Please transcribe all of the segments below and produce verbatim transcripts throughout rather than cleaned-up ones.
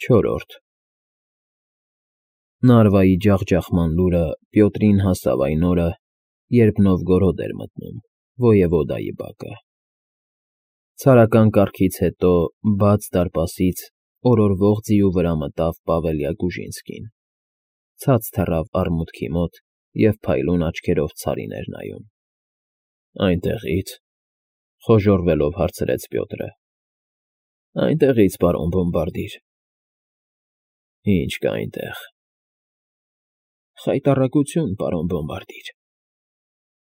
Չորրորդ Նարվայի ջախջախման լուրը Պյոտրին հասավ այն օրը, երբ Նովգորոդ էր մտնում ոյևոդայի բակը. ցարական կառքից հետո բաց դարպասից օրորվող ձիու վրա մտավ Պավելյա-Գուժինսկին, ցած թռավ արմուտքի մոտ և փայլուն աչքերով Ցարին էր նայում։ ֊ Այնտեղի՞ց,֊ խոժոռվելով հարցրեց Պյոտրը։ ֊ Այնտեղից, պարոն բոմբարդիր։ ֊ Ի՞նչ կա այնտեղ։ ֊ Խայտառակություն, պարոն բոմբարդիր։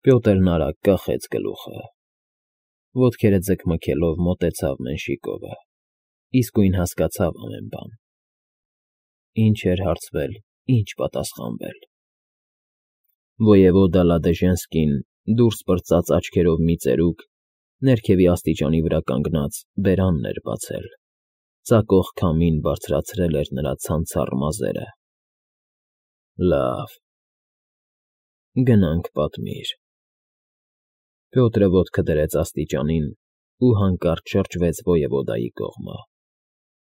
Պյոտրն արագ կախեց գլուխը, ոտքերը ձգմքելով մոտեցավ Մենշիկովը, իսկույն հասկացավ ամեն բան. ինչ էր հարցվել, ինչ պատասխանվել։ Ոյևոդա Լադեժենսկին դուրս պրծած աչքերով մի ծերուկ, ներքևի աստիճանի վրա կանգնած, բերանն էր բացել, ծակող քամին բարձրացրել էր նրա ցանցառ մազերը։ ֊ Լավ, գնանք պատմիր։ Պյոտրը ոտքը դրեց աստիճանին ու հանկարծ շրջվեց ոյևոդայի կողմը,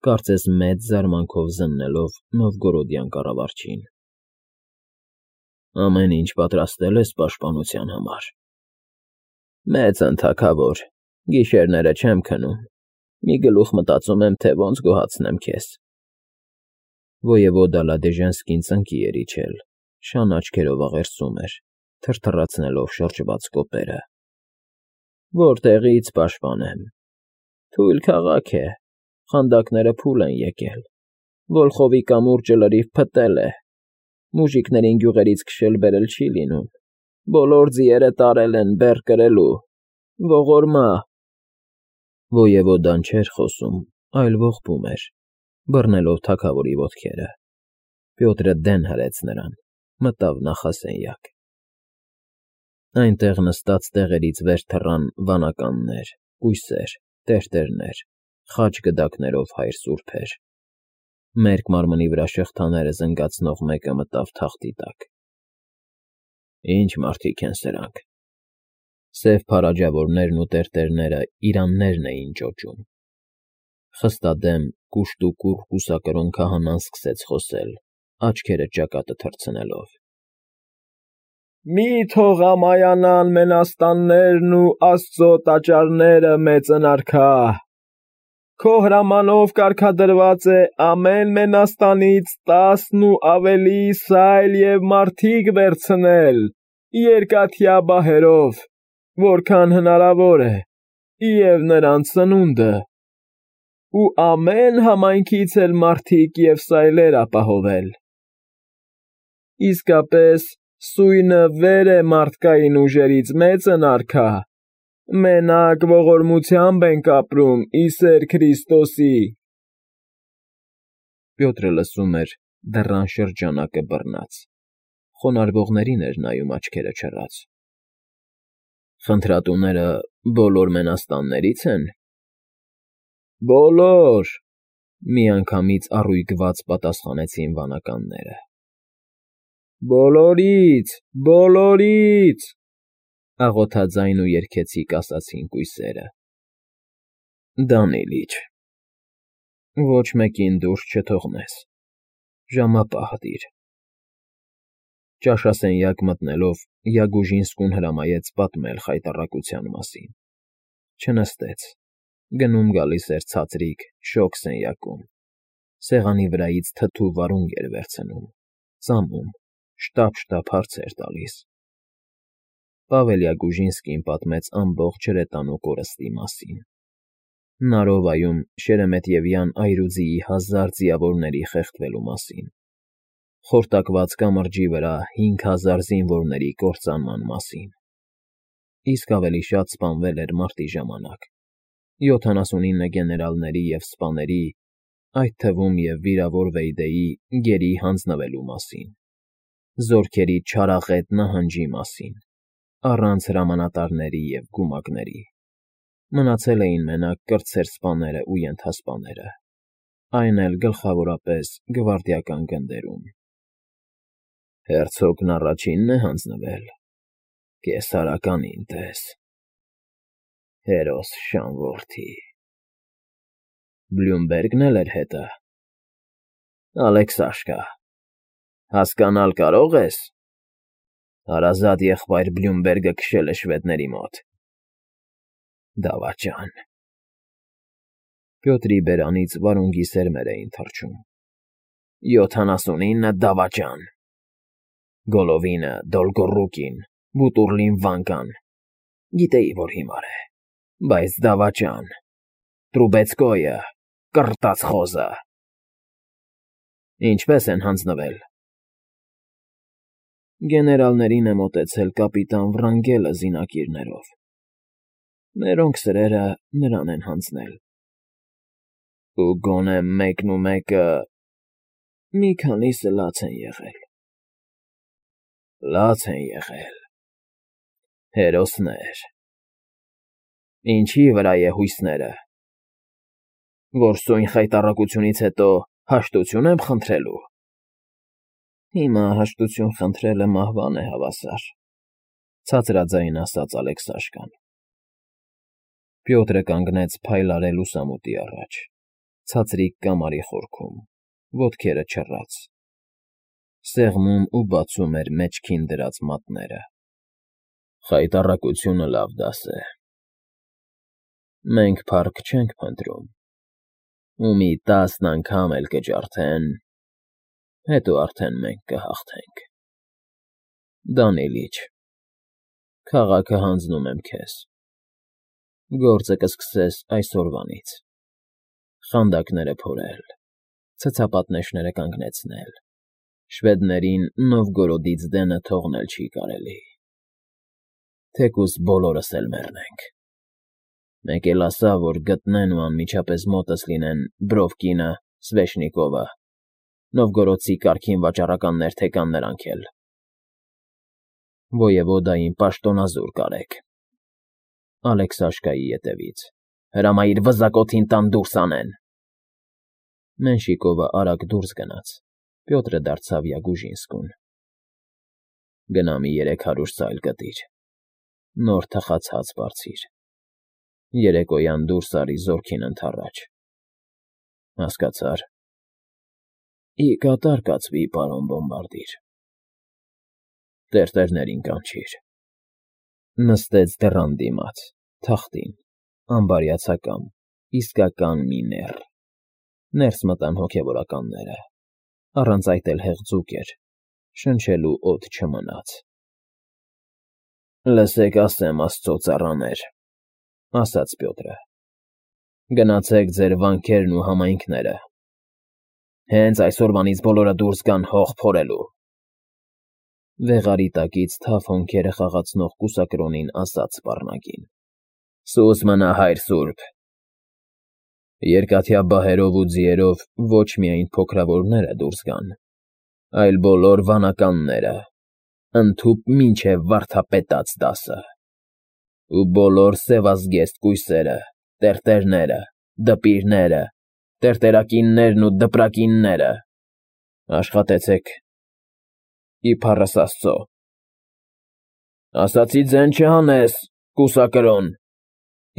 կարծես մեծ զարմանքով զննելով նովգորոդյան կառավարչին։ ֊ Ամեն ինչ պատրաստել ես պաշտպանության համար։ ֊ Մեծ են, թագավոր, գիշերները չեմ քնում, մի գլուխ մտածում եմ, թե ոնց գոհացնեմ քեզ։ Ոյևոդա Լադեժենսկին ծնկի էր իջել, շան աչքերով աղերսում էր, թրթռացնելով շրջված կոպերը։ ֊ Որտեղի՞ց պաշտպանեմ։ Թույլ քաղաք է, խանդակները փուլ են եկել, Վոլխովի կամուրջը լրիվ փտել է, մուժիկներին գյուղերից քշել֊բերել չի լինում, բոլոր ձիերը տարել են բեռ կրելու, ողորմա… Ոյևոդան չէր խոսում, այլ ողբում էր, բռնելով թագավորի ոտքերը։ Պյոտրը դեն հրեց նրան, մտավ նախասենյակ։ Այնտեղ նստած տեղերից վեր թռան վանականներ, կույսեր, տերտերներ, խաչ գդակներով հայր սուրբեր։ Մերկ մարմնի վրա շղթաները զնգացնող մեկը մտավ թախտի տակ։ ֊ Ի՞նչ մարդիկ են սրանք։ Սև փարաջավորներն ու տերտերները իրաններն էին ճոճում։ Խստադեմ, կուշտուկուռ կուսակրոն քահանան սկսեց խոսել, աչքերը ճակատը թռցնելով. ֊ Մի՛ թող ամայանան մենաստաններն ու աստծո տաճարները, մեծն արքա… Քո հրամանով կարգադրված է ամեն մենաստանից տասն ու ավելի սայլ և մարդիկ վերցնել երկաթյա բահերով, որքան հնարավոր է, և նրանց սնունդը, ու ամեն համայնքից էլ մարդիկ և սայլեր ապահովել… Իսկապես սույնը վեր է մարդկային ուժերից, մեծն արքա, մենակ ողորմությամբ ենք ապրում, ի սեր Քրիստոսի… Պյոտրը լսում էր, դռան շրջանակը բռնած, խոնարհվողներին էր նայում աչքերը չռած։ ֊ Խնդրատուները բոլոր մենաստանների՞ց են։ ֊ Բոլոր…֊ միանգամից առույգված պատասխանեցին վանականները։ ֊ Բոլորից, բոլորից…֊ աղոթաձայն ու երգեցիկ ասացին կույսերը։ ֊ Դանիլ իջր… Ոչ մեկին դուրս չթողնես, ժամապահ դիր… Ճաշասենյակ մտնելով Յագուժինսկուն հրամայեց պատմել խայտառակության մասին։ Չնստեց, գնում֊գալիս էր ցածրիկ, շոգ սենյակում, սեղանի վրայից թթու վարունգ էր վերցնում, ծամում, շտապ֊շտապ հարցեր տալիս։ Պավելյա֊Գուժինսկին պատմեց ամբողջ հրետանու կորստի մասին, Նարովայում շերեմետևյան այրուձիի հազար ձիավորների խեղդվելու մասին, Խորտակված կամրջի վրա հինգ հազար զինվորների կործանման մասին, իսկ ավելի շատ սպանվել էր մարտի ժամանակ, յոթանասունինը գեներալների և սպաների, այդ թվում և վիրավոր Վեյդեի գերի հանձնվելու մասին, զորքերի չարաղետ նահանջի մասին, առանց հրամանատարների և գումակների, մնացել էին մենակ կրտսեր սպաներն ու ենթասպաները, այն էլ գլխավորապես գվարդիական գնդերում։ ֊ Հերցոգն առաջինն է հանձնվել, կեսարականին տես… Հերոս շան որդի… Բլյումբերգն էլ էր հետը։ Ալեքսաշկա, հասկանալ կարո՞ղ ես. հարազատ եղբայր Բլյումբերգը քշել է շվեդների մոտ։ Դավաճան… Պյոտրի բերանից վարունգի սերմեր էին թռչում։ Յոթանասունինը դավաճան… Գոլովինը, Դոլգոռուկին, Բուտուռլին Վանկան… Գիտեի, որ հիմար է, բայց դավաճան… Տրուբեցկոյը, կռտած խոզը… Ինչպե՞ս են հանձնվել… Գեներալներին է մոտեցել կապիտան Վրանգելը զինակիրներով… Մերոնք սրերը նրան են հանձնել… Ու գոնե մեկն ու մեկը… Մի քանիսը լաց են եղել… Լաց են եղել… Հերոսներ… Ինչի՞ վրա է հույսները… Որ սույն խայտառակությունից հետո հաշտություն եմ խնդրելու… Հիմա հաշտություն խնդրելը մահվան է հավասար, ցածրաձայն ասաց Ալեքսաշկան… Պյոտրը կանգնեց փայլարե լուսամուտի առաջ, ցածրիկ կամարի խորքում, ոտքերը չռած… Սեղմում ու բացում էր մեջքին դրած մատները… Խայտառակությունը լավ դաս է… Մենք փառք չենք փնտրում… Ու մի տասն անգամ էլ կջարդեն… Հետո արդեն մենք կհաղթենք… Դանիլիչ, քաղաքը հանձնում եմ քեզ… Գործը կսկսես այսօրվանից… Խանդակները փորել, ցցապատնեշները կանգնեցնել… Շվեդներին Նովգորոդից դենը թողնել չի կարելի… Թեկուզ բոլորս էլ մեռնենք… Մեկ էլ ասա, որ գտնեն ու անմիջապես մոտս լինեն Բրովկինը, Սվեշնիկովը, նովգորոդցի կարգին վաճառականներ թե կան նրանք էլ… Ոյևոդային պաշտոնազուր կարեք… Ալեքսաշկայի ետևից… Հրամայիր վզակոթին տան դուրս անեն… Մենշիկովը արագ դուրս գնաց, Պյոտրը դարձավ Յագուժինսկուն… Գնա մի երեք հարյուր սայլ կտիր… Նոր թխած հաց բարձիր… Երեկոյան դուրս արի զորքին ընդառաջ… Հասկացա՞ր… Ի կատար կացվի, պարոն բոմբարդիր… Տերտերներին կանչիր… Նստեց դռան դիմաց, թախտին, ամբարյացակամ, իսկական մի նեռ… Ներս մտան հոգևորականները… Առանց այդ էլ հեղձուկ էր… Շնչելու օդ չմնաց… Լսեք, ասեմ, աստծո ծառաներ, ասաց Պյոտրը… Գնացեք ձեր վանքերն ու համայնքները… Հենց այսօրվանից բոլորը դուրս գան հող փորելու… Վեղարի տակից թավ հոնքերը խաղացնող կուսակրոնին ասաց սպառնակին. Սուս մնա, հայր սուրբ… Երկաթյա բահերով ու ձիերով ոչ միայն փոքրավորները դուրս գան, այլ բոլոր վանականները, ընդհուպ մինչև վարդապետաց դասը… Ու բոլոր սևազգեստ կույսերը, տերտերները, դպիրները, տերտերակիններն ու դպրակինները… Աշխատեցեք… Իբառս աստծո… Ասացի ձեն չհանես, կուսակրոն…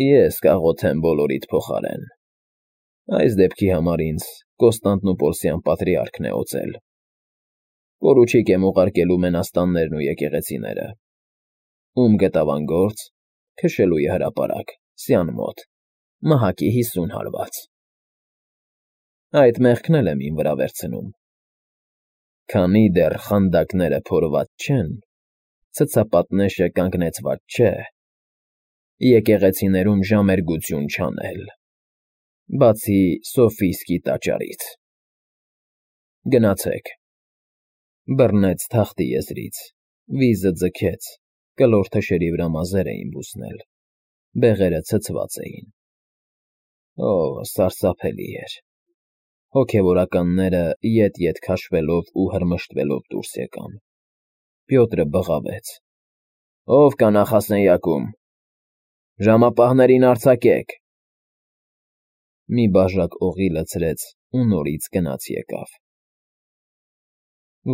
Ես կաղոթեմ բոլորիդ փոխարեն… Այս դեպքի համար ինձ Կոստանդնուպոլսյան պատրիարքն է օծել… Պորուչիկ եմ ուղարկելու մենաստաններն ու եկեղեցիները… Ում գտավ անգործ, քշելու է հրապարակ, սյան մոտ, մահակի հիսուն հարված… Այդ մեղքն էլ եմ իմ վրա վերցնում… Քանի դեռ խանդակները փորված չեն, ցցապատնեշը կանգնեցված չէ, եկեղեցիներում ժամերգություն չանել… Բացի սոֆիստկի տաճարից… Գնացեք… Բռնեց թախտի եզրից, վիզը ձգեց, կլոր թշերի վրա մազեր էին բուսնել, բեղերը ցցված էին… Օ՜, սարսափելի էր… Հոգևորականները ետ֊ետ քաշվելով ու հրմշտվելով դուրս եկան… Պյոտրը բղավեց. Ո՞վ կա նախասենյակում… Ժամապահներին արձակեք… Մի բաժակ օղի լցրեց ու նորից գնաց֊եկավ…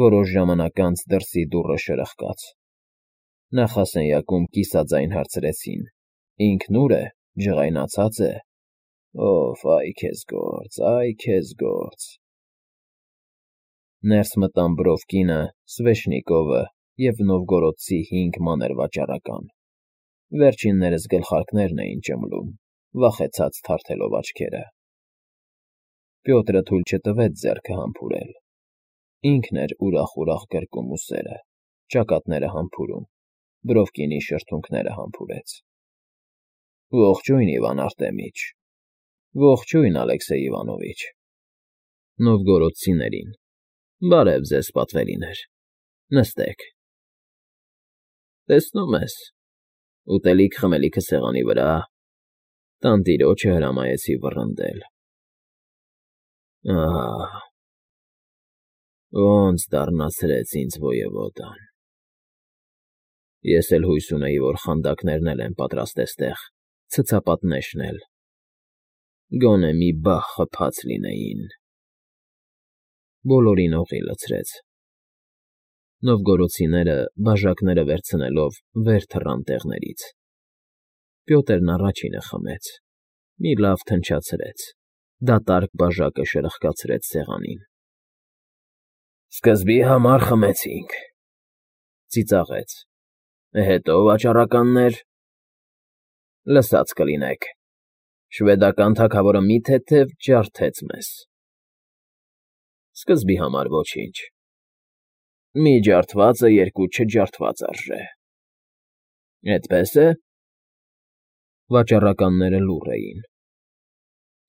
Որոշ ժամանակ անց դրսի դուռը շրխկաց… Նախասենյակում կիսաձայն հարցրեցին. Ինքն ո՞ւր է, ջղայնացած է… Օօ՜, այ քեզ գործ, այ քեզ գործ… Ներս մտան Բրովկինը, Սվեշնիկովը և նովգորոդցի հինգ մանր վաճառական. վերջիններս գլխարկներն էին ճմլում, վախեցած թարթելով աչքերը։ Պյոտրը թույլ չտվեց ձեռքը համբուրել. ինքն էր ուրախ֊ուրախ գրկում ուսերը, ճակատները համբուրում, Բրովկինի շրթունքները համբուրեց։ Ողջույն, Իվան Արտեմիչ, ողջույն, Ալեքսեյ Իվանովիչ, Նովգորոդցիներին, բարև ձեզ, պատվերիներ, նստեք։ Տեսնում ես, ուտելիք֊խմելիքը սեղանի վրա, տանտիրոջը հրամայեցի վռնդել։ Ահա, ոնց դառնացրեց ինձ ոևոդան։ Ես էլ հույս ունեի, որ խանդակներն էլ են պատրաստ էստեղ ցցապատ նեշնել, գոնե մի բախ խփած լինեին։ Բոլորին օղի լցրեց։ Նովգորոդցիները, բաժակները վերցնելով, վեր թռան տեղներից։ Պյոտրն առաջինը խմեց, մի լավ թնչացրեց, դատարկ բաժակը շրխկացրեց սեղանին։ Սկզբի համար խմեցինք, ծիծաղեց, հետո վաճառականներ… Լսած կլինեք, շվեդական թագավորը մի թեթև ջարդեց մեզ։ Սկզբի համար ոչինչ, մի ջարդվածը երկու չջարդված արժե։ Էդպես է՞… Վաճառականները լուռ էին։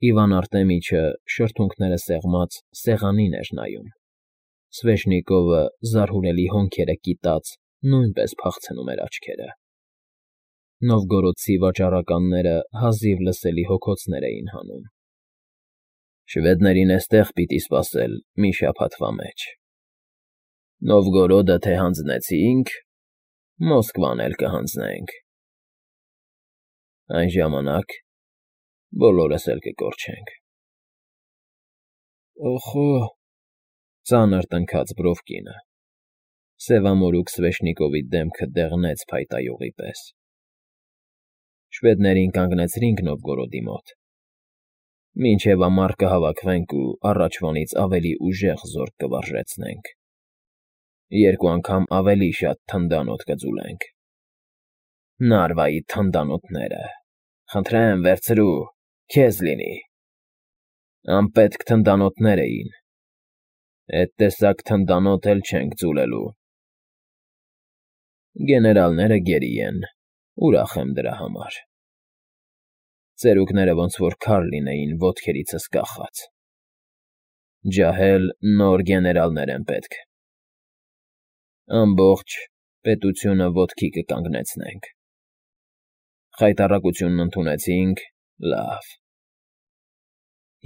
Իվան Արտեմիչը, շրթունքները սեղմած, սեղանին էր նայում։ Սվեշնիկովը, զարհուրելի հոնքերը կիտած, նույնպես փախցնում էր աչքերը։ Նովգորոդցի վաճառականները հազիվ լսելի հոգոցներ էին հանում։ Շվեդներին էստեղ պիտի սպասել մի շաբաթվա մեջ։ Նովգորոդը թե հանձնեցինք, Մոսկվան էլ կհանձնենք։ Այն ժամանակ բոլորս էլ կկորչենք։ Օխո… ծանր տնքաց Բրովկինը։ Սևամորուք Սվեշնիկովի դեմքը դեղնեց փայտայողի պես։ Շվեդներին կանգնեցրինք Նովգորոդի մոտ, մինչև ամառ կհավաքվենք ու առաջվանից ավելի ուժեղ զորք կվարժեցնենք, երկու անգամ ավելի շատ թնդանոթ կձուլենք։ Նարվայի թնդանոթները… Խնդրեմ, վերցրու, քեզ լինի… Անպետք թնդանոթներ էին, էդ տեսակ թնդանոթ էլ չենք ձուլելու։ Գեներալները գերի են, ուրախ եմ դրա համար։ Ծերուկները ոնց որ քար լինեին ոտքերիցս կախած։ Ջահել նոր գեներալներ են պետք։ Ամբողջ պետությունը ոտքի կկանգնեցնենք։ Խայտառակությունն ընդունեցինք, լավ։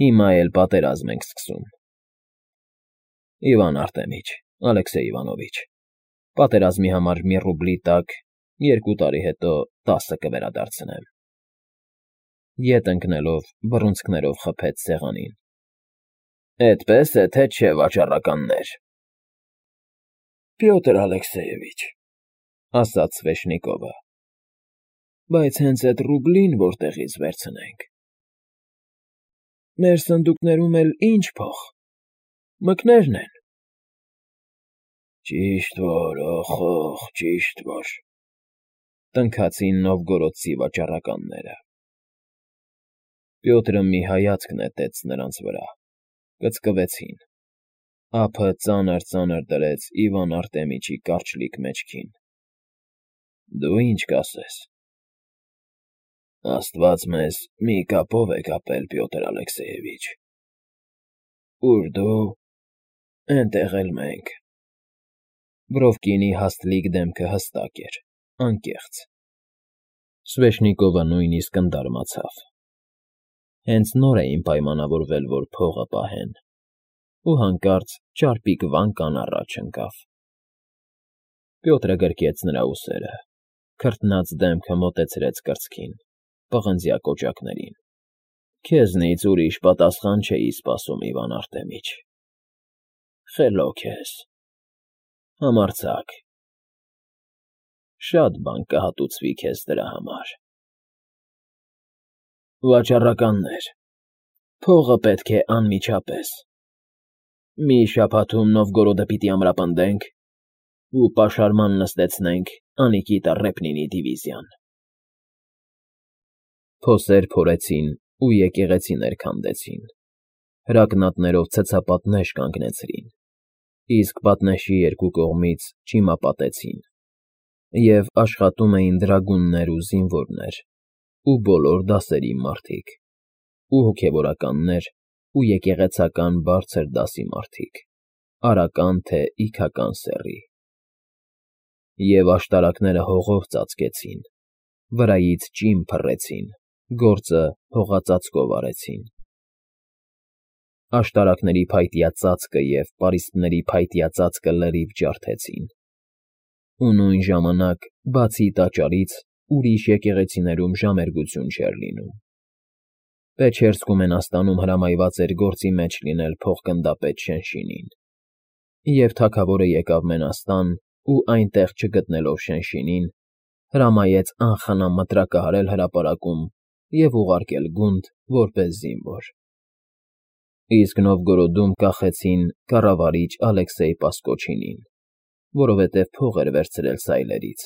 Հիմա էլ պատերազմ ենք սկսում։ Իվան Արտեմիչ, Ալեքսեյ Իվանովիչ, պատերազմի համար մի ռուբլի տակ երկու տարի հետո տասը կվերադարձնեմ։ Ետ ընկնելով, բռունցքներով խփեց սեղանին։ Էդպես է, թե չէ, վաճառականներ։ Պյոտր Ալեքսեյևիչ, ասաց Սվեշնիկովը, բայց հենց էդ ռուբլին որտեղից վերցնենք։ Մեր սնդուկներում էլ ինչ փող… Մկներն են։ Ճիշտ որ, օխ, ճիշտ որ… Տնքացին նովգորոդցի վաճառականները։ Պյոտրը մի հայացք նետեց նրանց վրա, կծկվեցին, ափը ծանր֊ծանր դրեց Իվան Արտեմիչի կարճլիկ մեջքին։ Դու ինչ կասես։ Աստված մեզ մի կապով է կապել, Պյոտր Ալեքսեյևիչ։ Ուր դու, էնտեղ էլ մենք։ Բրովկինի հաստլիկ դեմքը հստակ էր, անկեղծ։ Սվեշնիկովը նույնիսկ ընդարմացավ։ Հենց նոր էին պայմանավորվել, որ փողը պահեն, ու հանկարծ ճարպիկ վանկան առաջ ընկավ։ Պյոտրը գրկեց նրա ուսերը, քրտնած դեմքը մոտեցրեց կրծքին, պղնձյա կոճակներին։ Քեզնից ուրիշ պատասխան չէի սպասում, Իվան Արտեմիչ։ Խելոք ես, համարձակ… Շատ բան կհատուցվի քեզ դրա համար։ Վաճառականներ, փողը պետք է անմիջապես… Մի շաբաթում Նովգորոդը պիտի ամրապնդենք ու պաշարման նստեցնենք Անիկիտա Ռեպնինի դիվիզիան։ Փոսեր փորեցին ու եկեղեցիներ քանդեցին, հրակնատներով ցցապատներ կանգնեցրին, իսկ պատնեշի երկու կողմից չիմապատեցին, և աշխատում էին դրագուններ ու զինվորներ, ու բոլոր դասերի մարդիկ, ու հոգևորականներ, ու եկեղեցական բարձր դասի մարդիկ, արական թե իգական սեռի։ Եվ աշտարակները հողով ծածկեցին, վրայից ճիմ փռեցին, գործը հողածածկով արեցին։ Աշտարակների փայտյա ծածկը և պարիսպների փայտյա ծածկը լրիվ ջարդեցին, ու նույն ժամանակ, բացի տաճարից, ուրիշ եկեղեցիներում ժամերգություն չէր լինում։ Պեչերսկու մենաստանում հրամայված էր գործի մեջ լինել փոխգնդապետ Շենշինին, և թագավորը եկավ մենաստան ու, այնտեղ չգտնելով Շենշինին, հրամայեց անխնամ մտրակահարել հրապարակում և ուղարկել գունդ որպես զինվոր։ Իսկ Նովգորոդում կախեցին կառավարիչ Ալեքսեյ Պասկոչինին, որովհետև փող էր վերցրել սայլերից,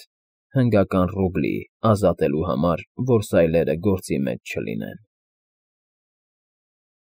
հնգական ռուբլի ազատելու համար, որ սայլերը գործի մեջ չլինեն։